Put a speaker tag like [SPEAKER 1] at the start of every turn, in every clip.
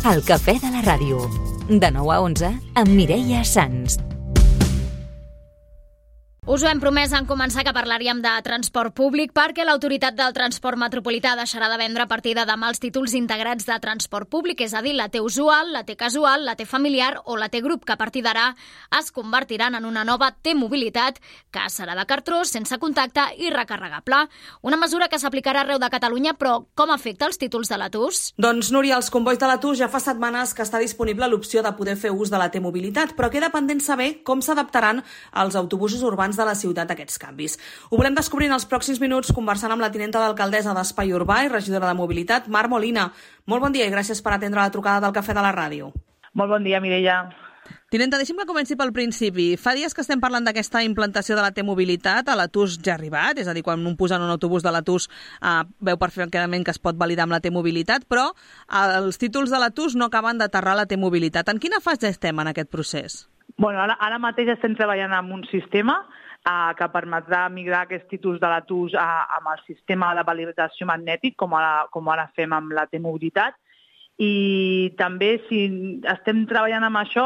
[SPEAKER 1] El cafè de la ràdio. De 9 a 11 amb Mireia Sans.
[SPEAKER 2] Us ho hem promès en començar que parlaríem de transport públic perquè l'Autoritat del Transport Metropolità deixarà de vendre a partir de demà els títols integrats de transport públic, és a dir, la T usual, la T casual, la T familiar o la T grup, que a partir d'ara es convertiran en una nova T mobilitat que serà de cartró, sense contacte i recarregable. Una mesura que s'aplicarà arreu de Catalunya, però com afecta els títols de la TUS?
[SPEAKER 3] Doncs, Núria, als combois de la TUS ja fa setmanes que està disponible l'opció de poder fer ús de la T mobilitat, però queda pendent saber com s'adaptaran els autobusos urbans de la ciutat a aquests canvis. Ho volem descobrir en els pròxims minuts conversant amb la tinenta d'alcaldessa d'Espai Urbà i regidora de Mobilitat, Mar Molina. Molt bon dia i gràcies per atendre la trucada del Cafè de la Ràdio.
[SPEAKER 4] Molt bon dia, Mireia.
[SPEAKER 5] Tinenta, deixi'm que comenci pel principi. Fa dies que estem parlant d'aquesta implantació de la T-mobilitat. A la TUS ja ha arribat, és a dir, quan un posa en un autobús de la TUS veu perfectament que es pot validar amb la T-mobilitat, però els títols de la TUS no acaben d'aterrar la T-mobilitat. En quina fase estem en aquest procés?
[SPEAKER 4] Bueno, ara mateix estem treballant amb un sistema que permetrà migrar aquests títols de la TUS amb el sistema de validació magnètic, com ara fem amb la T-mobilitat. I també si estem treballant amb això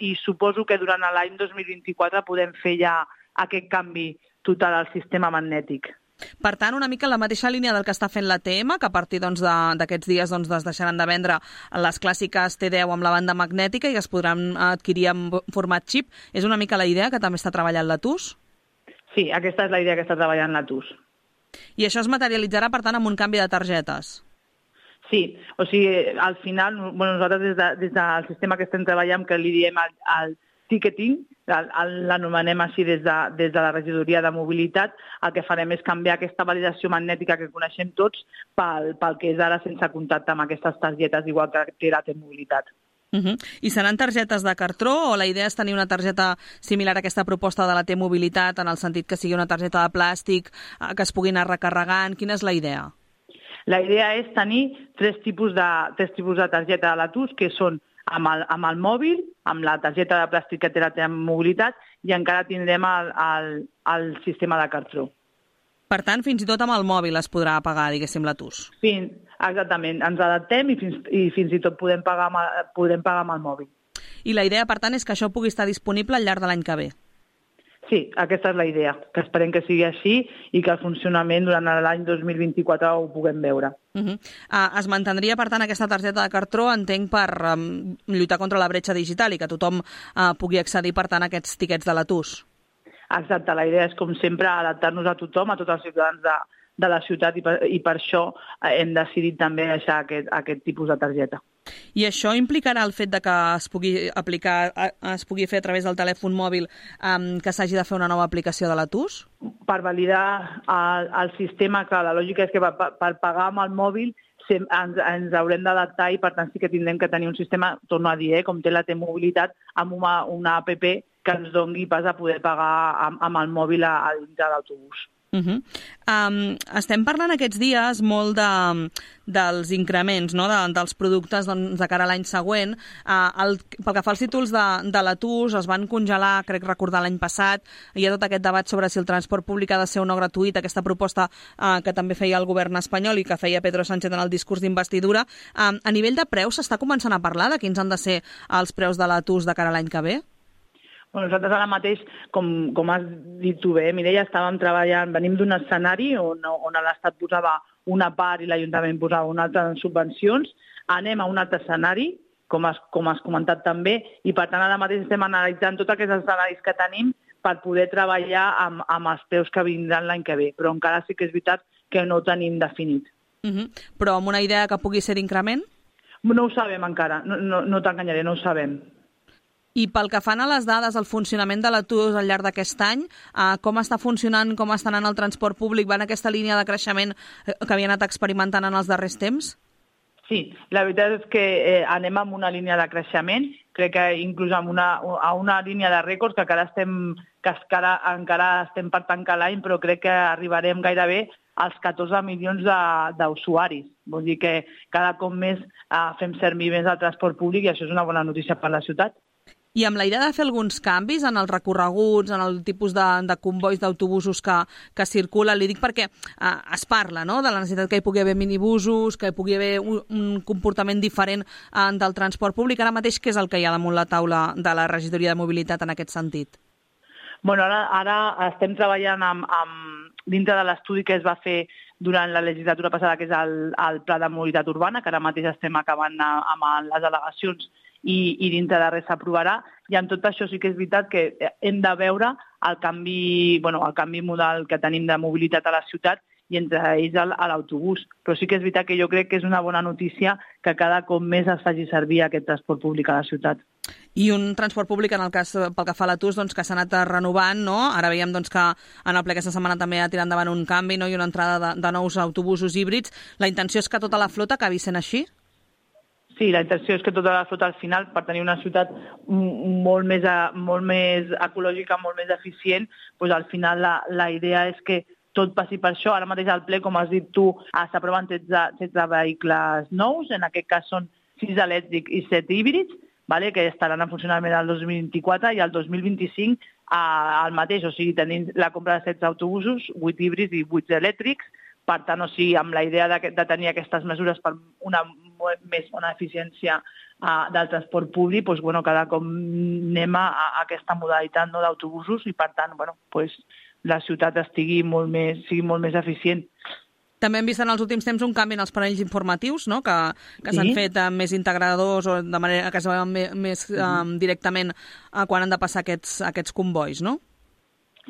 [SPEAKER 4] i suposo que durant l'any 2024 podem fer ja aquest canvi total al sistema magnètic.
[SPEAKER 5] Per tant, una mica en la mateixa línia del que està fent la TM, que a partir d'aquests dies es deixaran de vendre les clàssiques T10 amb la banda magnètica i es podran adquirir en format xip. És una mica la idea que també està treballant la TUS?
[SPEAKER 4] Sí, aquesta és la idea que està treballant la TUS.
[SPEAKER 5] I això es materialitzarà, per tant, amb un canvi de targetes?
[SPEAKER 4] Sí, o sigui, al final, nosaltres des del sistema que estem treballant, que li diem el ticketing, l'anomenem així des de la regidoria de mobilitat, el que farem és canviar aquesta validació magnètica que coneixem tots pel que és ara sense contacte amb aquestes targetes, igual que té la T-mobilitat.
[SPEAKER 5] I seran targetes de cartró o la idea és tenir una targeta similar a aquesta proposta de la T-mobilitat, en el sentit que sigui una targeta de plàstic, que es pugui anar recarregant? Quina és la idea?
[SPEAKER 4] La idea és tenir tres tipus de targeta de la TUS, que són amb el mòbil, amb la targeta de plàstic que té la T-mobilitat, i encara tindrem el sistema de cartró.
[SPEAKER 5] Per tant, fins i tot amb el mòbil es podrà pagar, diguéssim, la TUS.
[SPEAKER 4] Exactament, ens adaptem i fins i tot podem pagar amb el mòbil.
[SPEAKER 5] I la idea, per tant, és que això pugui estar disponible al llarg de l'any que ve.
[SPEAKER 4] Sí, aquesta és la idea, que esperem que sigui així i que el funcionament durant l'any 2024 ho puguem veure.
[SPEAKER 5] Es mantindria, per tant, aquesta targeta de cartró, entenc, per lluitar contra la bretxa digital i que tothom pugui accedir, per tant, a aquests tiquets de la TUS.
[SPEAKER 4] Exacte, la idea és, com sempre, adaptar-nos a tothom, a tots els ciutadans de la ciutat, i per això hem decidit també deixar aquest tipus de targeta.
[SPEAKER 5] I això implicarà el fet de que es pugui fer a través del telèfon mòbil, que s'hagi de fer una nova aplicació de la TUS?
[SPEAKER 4] Per validar el sistema, que la lògica és que per pagar amb el mòbil ens haurem d'adaptar i, per tant, sí que tindrem que tenir un sistema, torno a dir, com té la T-mobilitat, amb una app que ens doni pas a poder pagar amb el mòbil a dintre l'autobús.
[SPEAKER 5] Estem parlant aquests dies molt dels increments, no? dels productes de cara a l'any següent. Pel que fa als títols de la TUS, es van congelar, crec recordar l'any passat. Hi ha tot aquest debat sobre si el transport públic ha de ser o no gratuït, aquesta proposta que també feia el govern espanyol i que feia Pedro Sánchez en el discurs d'investidura. A nivell de preus s'està començant a parlar de quins han de ser els preus de la TUS de cara a l'any que ve?
[SPEAKER 4] Nosaltres ara mateix, com has dit tu bé, Mireia, estàvem treballant, venim d'un escenari on l'Estat posava una part i l'Ajuntament posava una altra en subvencions, anem a un altre escenari, com has comentat també, i per tant ara mateix estem analitzant tots aquests escenaris que tenim per poder treballar amb els preus que vindran l'any que ve, però encara sí que és veritat que no ho tenim definit.
[SPEAKER 5] Però amb una idea que pugui ser d'increment?
[SPEAKER 4] No ho sabem encara, no t'enganyaré, no ho sabem.
[SPEAKER 5] I pel que fan a les dades, el funcionament de la TUS al llarg d'aquest any, com està funcionant, com està anant el transport públic? Va en aquesta línia de creixement que havia anat experimentant en els darrers temps?
[SPEAKER 4] Sí, la veritat és que anem amb una línia de creixement, crec que inclús a una línia de rècords que encara estem per tancar l'any, però crec que arribarem gairebé als 14 milions d'usuaris. Vol dir que cada cop més fem servir més el transport públic i això és una bona notícia per la ciutat.
[SPEAKER 5] I amb la idea de fer alguns canvis en els recorreguts, en el tipus de convois d'autobusos que circulen, li dic perquè es parla, no?, de la necessitat que hi pugui haver minibusos, que hi pugui haver un comportament diferent del transport públic. Ara mateix, què és el que hi ha damunt la taula de la regidoria de mobilitat en aquest sentit?
[SPEAKER 4] Bueno, ara estem treballant dintre de l'estudi que es va fer durant la legislatura passada, que és el Pla de Mobilitat Urbana, que ara mateix estem acabant amb les al·legacions i dintre de res s'aprovarà. I amb tot això sí que és veritat que hem de veure el canvi modal que tenim de mobilitat a la ciutat i entre ells a l'autobús. Però sí que és veritat que jo crec que és una bona notícia que cada cop més es faci servir aquest transport públic a la ciutat.
[SPEAKER 5] I un transport públic, en el cas pel que fa a l'Atus, que s'ha anat renovant, no? Ara veiem que en el ple aquesta setmana també ha tirat endavant un canvi, no? I una entrada de nous autobusos híbrids. La intenció és que tota la flota acabi sent així?
[SPEAKER 4] Sí, la intenció és que tota la flota al final, per tenir una ciutat molt més ecològica, molt més eficient, doncs al final la idea és que tot passi per això. Ara mateix al ple, com has dit tu, s'aproven 16 vehicles nous, en aquest cas són 6 elèctrics i 7 híbrids, que estaran en funcionament el 2024 i el 2025 el mateix, o sigui, tenim la compra de 16 autobusos, 8 híbrids i 8 elèctrics. Per tant, o sigui, amb la idea de tenir aquestes mesures per una més bona eficiència del transport públic, doncs, cada cop anem a aquesta modalitat d'autobusos i, per tant, la ciutat sigui molt més eficient.
[SPEAKER 5] També hem vist en els últims temps un canvi en els panells informatius, no?, que s'han fet més integradors o de manera que es veuen més directament quan han de passar aquests convois, no?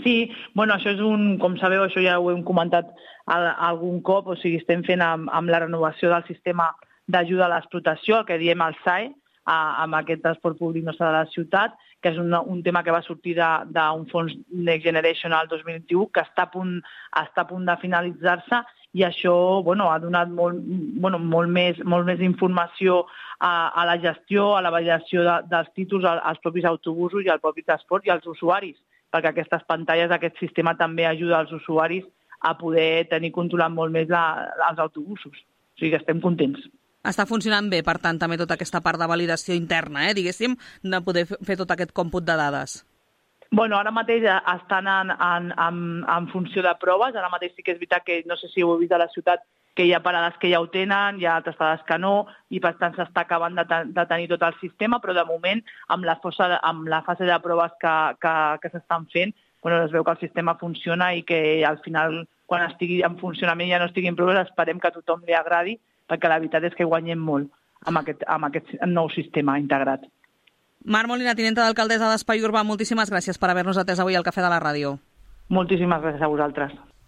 [SPEAKER 4] Sí, això és com sabeu, això ja ho hem comentat algun cop, o sigui, estem fent amb la renovació del sistema d'ajuda a l'explotació, el que diem el SAE, amb aquest transport públic nostre de la ciutat, que és un tema que va sortir d'un fons Next Generation al 2021, que està a punt de finalitzar-se, i això ha donat molt més informació a la gestió, a la validació dels títols, als propis autobusos i al propi transport i als usuaris, perquè aquestes pantalles, aquest sistema també ajuda als usuaris a poder tenir controlat molt més els autobusos. O sigui que estem contents.
[SPEAKER 5] Està funcionant bé, per tant, també tota aquesta part de validació interna, diguéssim, de poder fer tot aquest còmput de dades.
[SPEAKER 4] Ara mateix estan en funció de proves. Ara mateix sí que és veritat que, no sé si ho heu vist a la ciutat, que hi ha parades que ja ho tenen, hi ha altres parades que no, i per tant s'està acabant de tenir tot el sistema, però de moment, amb la fase de proves que s'estan fent, es veu que el sistema funciona i que al final, quan estigui en funcionament i ja no estigui en proves, esperem que a tothom li agradi, perquè la veritat és que guanyem molt amb aquest nou sistema integrat.
[SPEAKER 5] Mar Molina, tinenta d'alcaldessa d'Espai Urbà, moltíssimes gràcies per haver-nos atès avui al Cafè de la Ràdio.
[SPEAKER 4] Moltíssimes gràcies a vosaltres.